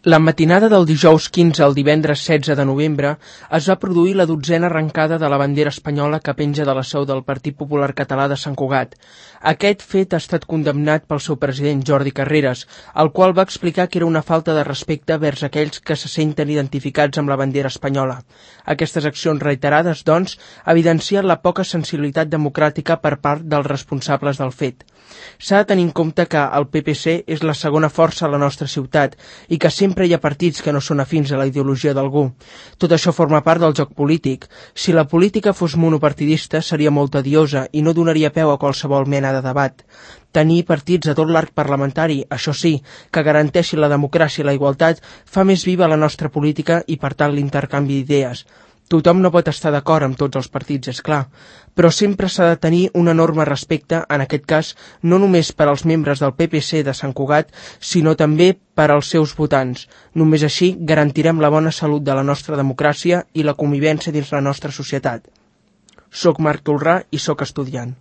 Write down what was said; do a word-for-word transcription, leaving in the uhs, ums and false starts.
La matinada del dijous quinze al divendres setze de novembre es va produir la dotzena arrencada de la bandera espanyola que penja de la seu del Partit Popular Català de Sant Cugat. Aquest fet ha estat condemnat pel seu president Jordi Carreras, el qual va explicar que era una falta de respecte vers aquells que se senten identificats amb la bandera espanyola. Aquestes accions reiterades, doncs, evidencien la poca sensibilitat democràtica per part dels responsables del fet. S'ha de tenir en compte que el P P C és la segona força a la nostra ciutat i que sempre hi ha partits que no són afins a la ideologia d'algú. Tot això forma part del joc polític. Si la política fos monopartidista seria molt tediosa i no donaria peu a qualsevol mena de debat. Tenir partits a tot l'arc parlamentari, això sí, que garanteixi la democràcia i la igualtat, fa més viva la nostra política i, per tant, l'intercanvi d'idees. Tothom no pot estar d'acord amb tots els partits, és clar, però sempre s'ha de tenir un enorme respecte, en aquest cas, no només per als membres del P P C de Sant Cugat, sinó també per als seus votants. Només així garantirem la bona salut de la nostra democràcia i la convivència dins la nostra societat. Soc Marc Tolrà i soc estudiant.